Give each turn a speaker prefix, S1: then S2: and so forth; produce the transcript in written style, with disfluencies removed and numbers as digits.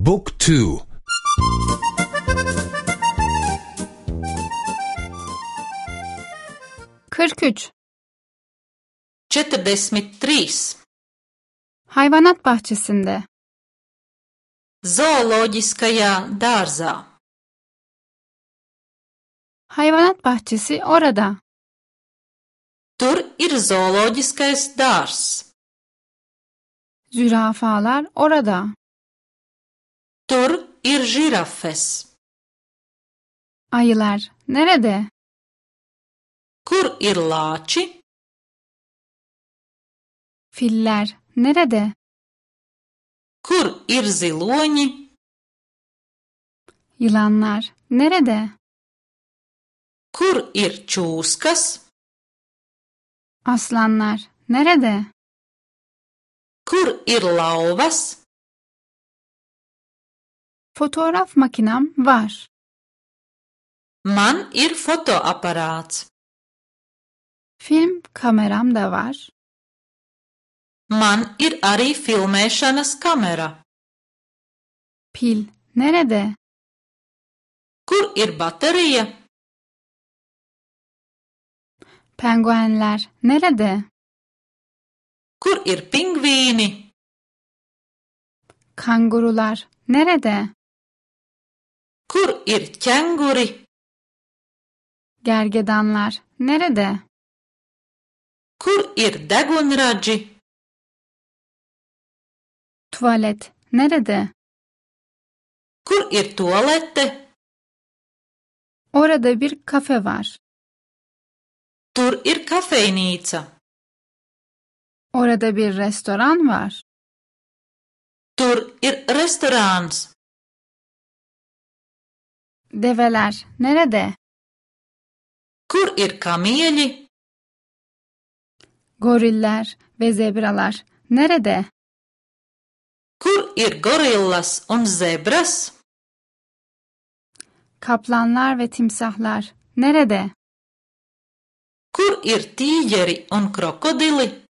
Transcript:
S1: บุ๊กทู
S2: 43.
S3: 43.
S2: Hayvanat bahçesinde.
S3: Zooloģiskajā dārzā.
S2: Hayvanat bahçesi orada.
S3: Tur ir zooloģiskais dārzs.
S2: Zürafalar orada.
S3: Tur ir žirafes.
S2: Ayılar nerede?
S3: Kur ir lāči?
S2: Filler nerede?
S3: Kur ir ziloņi?
S2: Yılanlar nerede?
S3: Kur ir čūskas?
S2: Aslanlar nerede?
S3: Kur ir lauvas?
S2: Fotoğraf makinam var.
S3: Man ir fotoaparāts.
S2: Film kameram da var.
S3: Man ir arī filmēšanas kamera.
S2: Pil nerede?
S3: Kur ir baterija?
S2: Penguenler nerede?
S3: Kur ir pingvīni?
S2: Kangurular nerede?
S3: Kur ir ķenguri?
S2: Gergedanlar nerede?
S3: Kur ir degunradži?
S2: Tuvalet nerede?
S3: Kur ir tualete?
S2: Orada bir kafe var.
S3: Tur ir kafejnīca.
S2: Orada bir restoran var.
S3: Tur ir restorāns.
S2: Develer nerede?
S3: Kur ir kamieļi?
S2: Goriller ve zebralar nerede?
S3: Kur ir gorillas un zebras?
S2: Kaplanlar ve timsahlar nerede?
S3: Kur ir tīģeri un krokodili?